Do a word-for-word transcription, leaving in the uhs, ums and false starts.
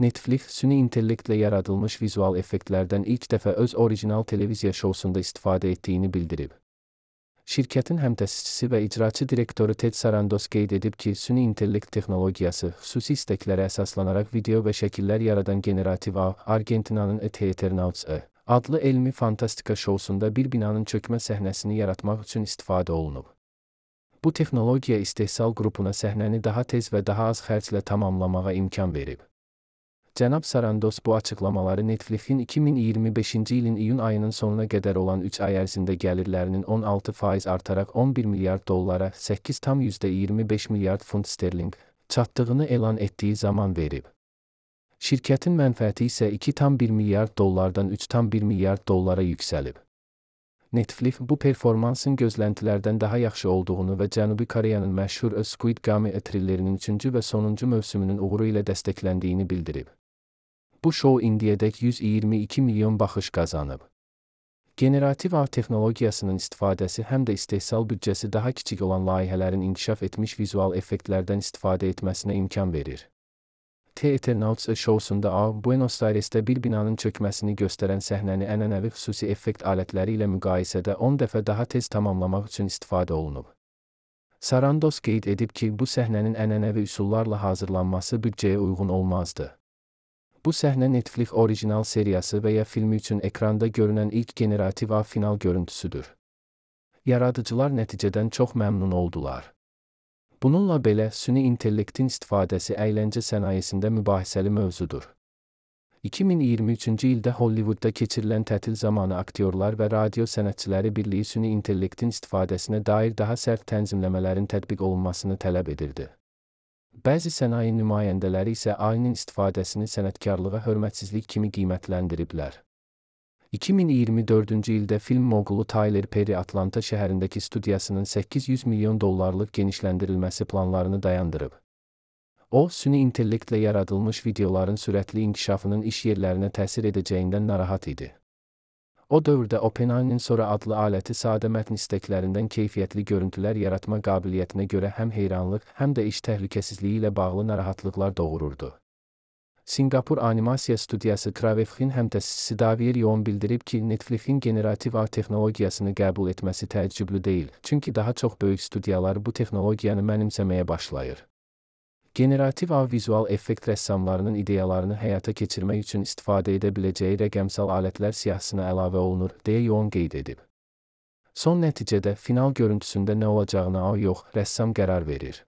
Netflix, süni intellektlə yaradılmış vizual effektlərdən ilk dəfə öz orijinal televiziya şousunda istifadə etdiyini bildirib. Şirkətin həmtəsisçisi və icraçı direktoru Ted Sarandos qeyd edib ki, süni intellekt texnologiyası xüsusi istəklərə əsaslanaraq video və şəkillər yaradan generativ A, Argentinanın The Eternauts adlı elmi fantastika şousunda bir binanın çökmə səhnəsini yaratmaq üçün istifadə olunub. Bu texnologiya istehsal qrupuna səhnəni daha tez və daha az xərclə tamamlamağa imkan verib. Cənab Sarandos bu açıqlamaları Netflixin iki min iyirmi beşinci ilin iyun ayının sonuna qədər olan üç ay ərzində gəlirlərinin on altı faiz artaraq on bir milyard dollara, səkkiz tam yüzdə iyirmi beş milyard funt sterling çatdığını elan etdiyi zaman verib. Şirkətin mənfəəti isə iki tam bir milyard dollardan üç tam bir milyard dollara yüksəlib. Netflix bu performansın gözləntilərdən daha yaxşı olduğunu və Cənubi Koreyanın məşhur Squid Game thrillerinin üçüncü və sonuncu mövsümünün uğuru ilə dəstəkləndiyini bildirib. Bu şou indiyədək yüz iyirmi iki milyon baxış qazanıb. Generativ A texnologiyasının istifadəsi həm də istehsal büdcəsi daha kiçik olan layihələrin inkişaf etmiş vizual effektlərdən istifadə etməsinə imkan verir. The Eternauts şousunda A, Buenos Aires'də bir binanın çökməsini göstərən səhnəni ənənəvi xüsusi effekt alətləri ilə müqayisədə on dəfə daha tez tamamlamaq üçün istifadə olunub. Sarandos qeyd edib ki, bu səhnənin ənənəvi üsullarla hazırlanması büdcəyə uyğun olmazdı. Bu səhnə Netflix orijinal seriyası və ya filmi üçün ekranda görünən ilk generativ A final görüntüsüdür. Yaradıcılar nəticədən çox məmnun oldular. Bununla belə, süni intellektin istifadəsi əyləncə sənayesində mübahisəli mövzudur. iki min iyirmi üçüncü ildə Hollywoodda keçirilən tətil zamanı aktyorlar və radio sənətçiləri birliyi süni intellektin istifadəsinə dair daha sərt tənzimləmələrin tətbiq olunmasını tələb edirdi. Bəzi sənaye nümayəndələri isə A I-nin istifadəsini sənətkarlığa hörmətsizlik kimi qiymətləndiriblər. iki min iyirmi dördüncü ildə film moğulu Tyler Perry Atlanta şəhərindəki studiyasının səkkiz yüz milyon dollarlıq genişləndirilməsi planlarını dayandırıb. O, süni intellektlə yaradılmış videoların sürətli inkişafının iş yerlərinə təsir edəcəyindən narahat idi. O dövrdə OpenAI'nin Sora adlı aləti sadə mətn istəklərindən keyfiyyətli görüntülər yaratma qabiliyyətinə görə həm heyranlıq, həm də iş təhlükəsizliyi ilə bağlı narahatlıqlar doğururdu. Singapur animasiya studiyası Kravefxin həmtəsisçisi Davier Yoğun bildirib ki, Netflixin generativ A texnologiyasını qəbul etməsi təəccüblü deyil, çünki daha çox böyük studiyalar bu texnologiyanı mənimsəməyə başlayır. Generativ A vizual effekt rəssamlarının ideyalarını həyata keçirmək üçün istifadə edə biləcəyi rəqəmsal alətlər siyahısına əlavə olunur, deyə Yoğun qeyd edib. Son nəticədə final görüntüsündə nə olacağına A yox, rəssam qərar verir.